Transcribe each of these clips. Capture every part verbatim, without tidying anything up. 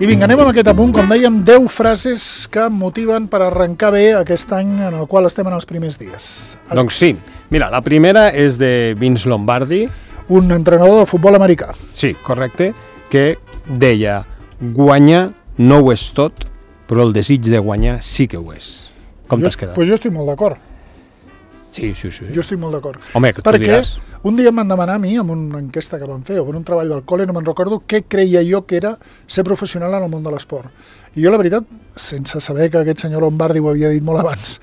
I vinga, anem amb aquest apunt, com dèiem, deu frases que motiven per arrencar bé aquest any en el qual estem en els primers dies. Alex. Doncs sí. Mira, la primera és de Vince Lombardi. Un entrenador de futbol americà. Sí, correcte, que deia: guanyar no ho és tot, però el desig de guanyar sí que ho és. Com t'has quedat? Pues jo estic molt d'acord. Sí, sí, sí. Jo estic molt d'acord. Home, que tu Perquè diràs. un dia em van demanar a mi, en una enquesta que van fer, o en un treball del col·le, no me'n recordo, què creia jo que era ser professional en el món de l'esport. I jo, la veritat, sense saber que aquest senyor Lombardi ho havia dit molt abans,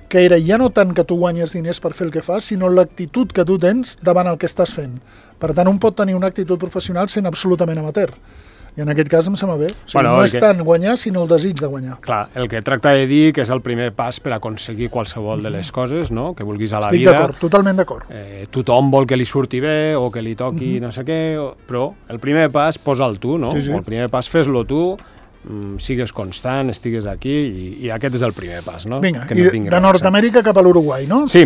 que era ja no tant que tu guanyes diners per fer el que fas, sinó l'actitud que tu tens davant el que estàs fent. Per tant, un pot tenir una actitud professional sent absolutament amateur. I en aquest cas em sembla bé. O sigui, Bueno, no el és que- tant guanyar, sinó el desig de guanyar. Clar, el que tracta de dir que és el primer pas per aconseguir qualsevol de les coses, no?, que vulguis a la Estic vida. d'acord, totalment d'acord. Eh, tothom vol que li surti bé o que li toqui no sé què, o- però el primer pas posa'l tu, no? Sí, sí. O el primer pas fes-lo tu, mm, sigues constant, estigues aquí, i, i aquest és el primer pas, no? Vinga, Que i no de, vingui de res. Nord-Amèrica cap a l'Uruguai, no? Sí,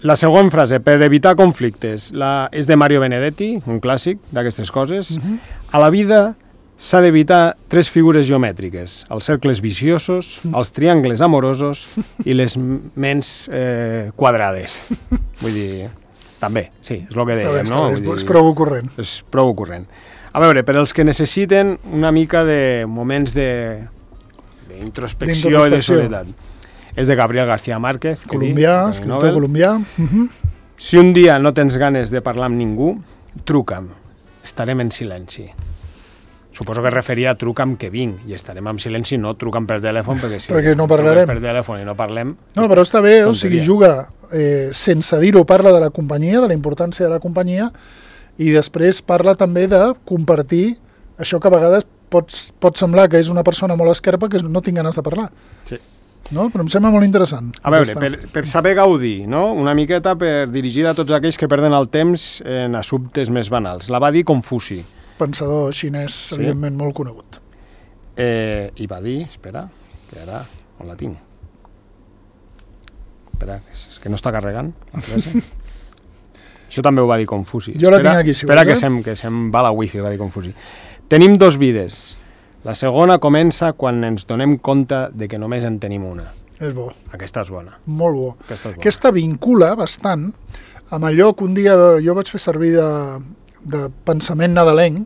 la següent frase, per evitar conflictes, la, és de Mario Benedetti, un clàssic d'aquestes coses. A la vida s'ha d'evitar tres figures geomètriques: els cercles viciosos, els triangles amorosos i les ments eh, quadrades. Vull dir, també, sí, és el que Està bé, dèiem, està no? bé, Vull és dir, prou corrent. és prou ocorrent. A veure, per als que necessiten una mica de moments de d'introspecció i de D'introspecció. soledat, és de Gabriel García Márquez, que Colombià, dic, escriptor Nobel. colombià. Uh-huh. Si un dia no tens ganes de parlar amb ningú, truca'm, estarem en silenci. Suposo que es referia a truca'm que vinc, i estarem en silenci, no truca'm per telèfon, perquè si Perquè no truques parlarem. per telèfon i no parlem... No, però està bé, és o sigui, tonteria. juga eh, sense dir-ho, parla de la companyia, de la importància de la companyia, i després parla també de compartir això que a vegades pot, pot semblar que és una persona molt esquerpa que no tinc ganes de parlar. Sí. No? Però em sembla molt interessant. A veure, aquesta. per, per saber gaudir, no? Una miqueta per dirigir a tots aquells que perden el temps en assumptes més banals. La va dir Confuci. Pensador xinès, sí. Evidentment, molt conegut. Eh, I va dir, espera, que ara on la tinc? Espera, és que no està carregant la frase. Això també ho va dir Confuci. Jo la espera, tinc aquí, si Espera vols, que, eh? se'm, que se'm va la wifi, va dir Confuci. Tenim dos vides. La segona comença quan ens donem compte de que només en tenim una. És bo, Aquesta és bona. molt bo. Aquesta és bona. Aquesta vincula bastant amb allò que un dia jo vaig fer servir de, de pensament nadalenc,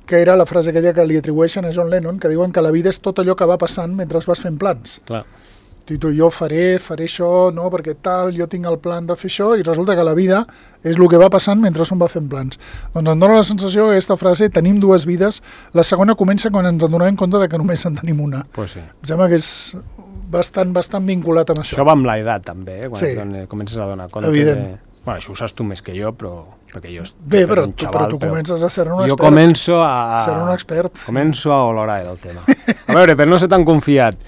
que era la frase aquella que li atribueixen a John Lennon, que diuen que la vida és tot allò que va passant mentre vas fent plans. Clar. I tu, jo faré, faré això, no, perquè tal, jo tinc el plan de fer això, i resulta que la vida és el que va passant mentre un va fent plans. Doncs em dóna la sensació que aquesta frase, tenim dues vides, la segona comença quan ens adonem compte de que només en tenim una. Pues sí. Em sembla que és bastant, bastant vinculat amb això. Això va amb l'edat, també, eh? Quan Sí. sí. comences a donar compte Evident. de... Bueno, això ho saps tu més que jo, però... Perquè jo Bé, jo però, un tu, xaval, però tu comences a ser un expert. Jo començo a... Ser un expert. Començo a olorar el tema. A veure, per no ser tan confiat,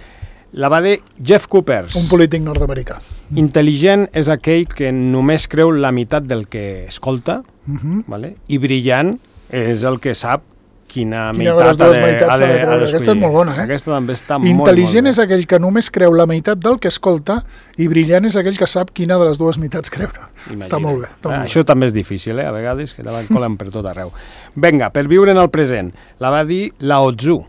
la va dir Jeff Coopers. Un polític nord-americà. Intel·ligent és aquell que només creu la meitat del que escolta, Uh -huh. vale? I brillant és el que sap quina, Quina de meitat les dues ha de, meitats ha s'ha de de, creure. ha Aquesta és d'escollir. molt bona, eh? Aquesta també està molt, Intel·ligent molt és aquell que només creu la meitat del que escolta i brillant és aquell que sap quina de les dues meitats creure. Imagina. Està molt bé. Està Ah, molt això també és difícil, eh? A vegades, que te la colen per tot arreu. Vinga, per viure en el present, la va dir Lao Tzu.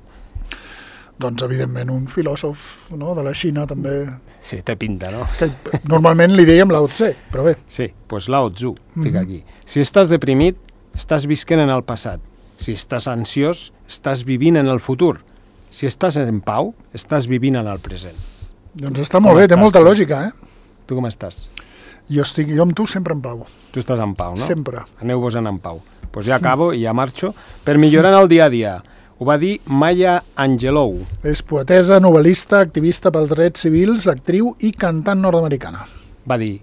Doncs, evidentment, un filòsof, no?, de la Xina també, Sí, té pinta, no? que normalment li dèiem Lao Tse, però bé. Sí, doncs pues Lao Tzu, fica Mhm. aquí. Si estàs deprimit, estàs visquent en el passat. Si estàs ansiós, estàs vivint en el futur. Si estàs en pau, estàs vivint en el present. Doncs està molt Com bé, té estàs, molta tu? lògica, eh? Tu com estàs? Jo estic, jo amb tu sempre en pau, Tu estàs en pau, no? sempre. Aneu-vos en pau. Doncs pues ja acabo i ja marxo. Per millorar en el dia a dia, ho va dir Maya Angelou. És poetesa, novel·lista, activista pels drets civils, actriu i cantant nord-americana. Va dir: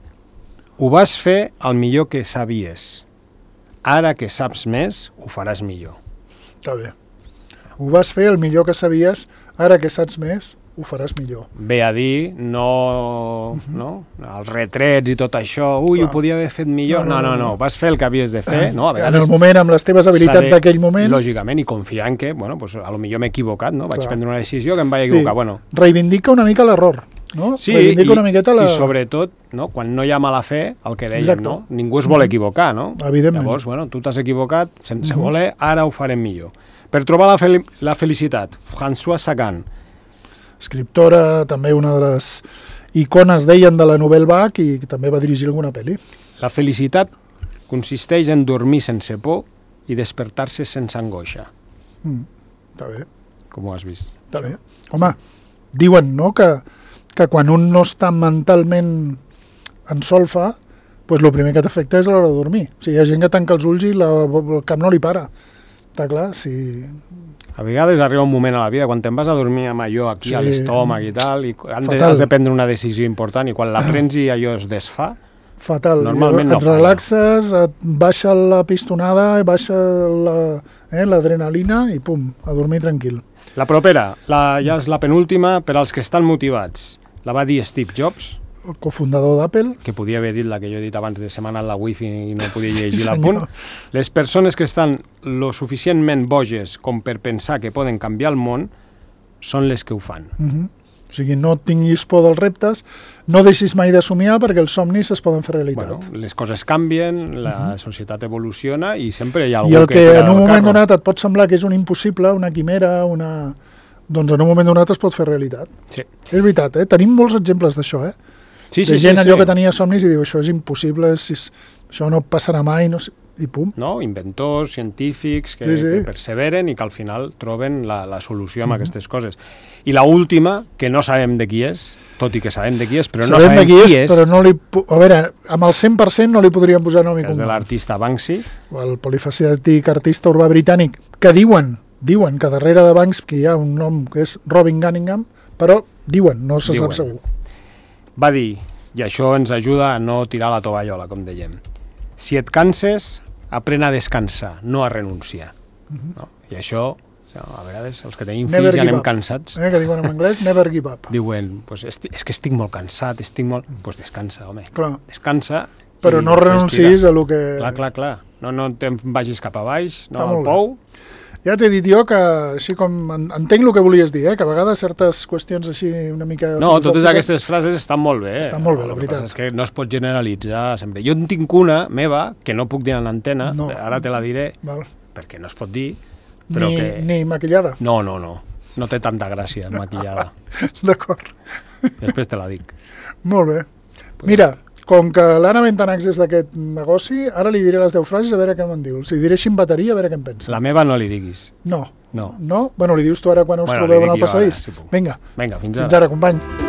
ho vas fer el millor que sabies. Ara que saps més, ho faràs millor. Està bé. Ho vas fer el millor que sabies, ara que saps més, ho faràs millor. Ve a dir, no, no, els retrets i tot això, ui, Clar. ho podia haver fet millor. No, no, no, vas fer el que havies de fer, no? A En vegades el moment, amb les teves habilitats s'ha de- d'aquell moment, Lògicament, i confiar en que, bueno, pues, a lo millor m'he equivocat, no? Vaig Clar. prendre una decisió que em vaig equivocar. Bueno, reivindica una mica l'error, no? sí, reivindica i, una miqueta la... i sobretot, no? Quan no hi ha mala fe, el que dèiem, Exacte. no? Ningú es vol equivocar, no? Evidentment. Llavors, bueno, tu t'has equivocat, sense Mhm. voler, ara ho farem millor. Per trobar la, fel la felicitat, François Sagan. Escriptora, també una de les icones, deien, de la Nouvelle Vague, i també va dirigir alguna pel·li. La felicitat consisteix en dormir sense por i despertar-se sense angoixa. Mm, està bé. Com ho has vist? Està bé. Home, diuen, no?, que, que quan un no està mentalment en solfa, pues el primer que t'afecta és a l'hora de dormir. O sigui, hi ha gent que tanca els ulls i la, el cap no li para. Està clar, si... A vegades arriba un moment a la vida quan te'n vas a dormir amb allò aquí, sí, a l'estómac i tal, i de, has de prendre una decisió important i quan la prens i allò es desfà, fatal. Normalment no et relaxes, et baixa la pistonada, baixa l'adrenalina eh, i pum, a dormir tranquil. La propera, la, ja és la penúltima per als que estan motivats. La va dir Steve Jobs, el cofundador d'Apple, que podia haver dit la que jo he dit abans de setmana en la wifi i no podia llegir sí, l'apunt. Les persones que estan lo suficientment boges com per pensar que poden canviar el món són les que ho fan. Uh -huh. O sigui, no tinguis por dels reptes, no deixis mai de somiar perquè els somnis es poden fer realitat. Bueno, les coses canvien, la uh -huh. societat evoluciona i sempre hi ha algú I el que, que en un moment carro. donat et pot semblar que és un impossible, una quimera, una... doncs en un moment donat es pot fer realitat. Sí. És veritat, eh? Tenim molts exemples d'això, eh? Sí, de sí, gent sí, allò sí. que tenia somnis i diu això és impossible, si és, això no passarà mai, no sé, i pum. No? Inventors, científics que, sí, sí. que perseveren i que al final troben la, la solució amb uh -huh. aquestes coses. I la última, que no sabem de qui és, tot i que sabem de qui és, però sabem no sabem de qui és, qui és, però no li... A veure, amb el cent per cent no li podríem posar nom i és cognom. de l'artista Banksy. El polifacètic artista urbà britànic, que diuen, diuen que darrere de Banksy hi ha un nom que és Robin Cunningham, però diuen, no se diuen. sap segur. Va dir, i això ens ajuda a no tirar la tovallola, com dèiem, si et canses, aprèn a descansar, no a renunciar. Uh -huh. no? I això, a vegades, els que tenim Never fills ja anem up. cansats. Eh, que diuen en anglès, never give up. Diuen, pues, és que estic molt cansat, estic molt... Doncs pues descansa, home. Clar. Descansa. Però no renuncis a lo que... Clar, clar, clar. No, no te'n vagis cap a baix, no Està al pou. Ja t'he dit jo que, així com entenc el que volies dir, eh? Que a vegades certes qüestions així una mica... No, totes aquestes frases estan molt bé. Estan molt bé, la el veritat. que passa és que no es pot generalitzar sempre. Jo en tinc una meva, que no puc dir en l'antena, no. ara te la diré, Val. perquè no es pot dir, però ni, que... Ni maquillada? No, no, no. No té tanta gràcia, maquillada. D'acord. Després te la dic. Molt bé. Pues... Mira, com que l'Anna Ventanax és d'aquest negoci, ara li diré les deu frases a veure què me'n diu. Si diré així en bateria, a veure què em pensa. La meva no li diguis. No. No. No? Bueno, li dius tu ara quan us bueno, trobeu en el passadís. Ara, si Vinga. Vinga, fins, fins ara. ara, company.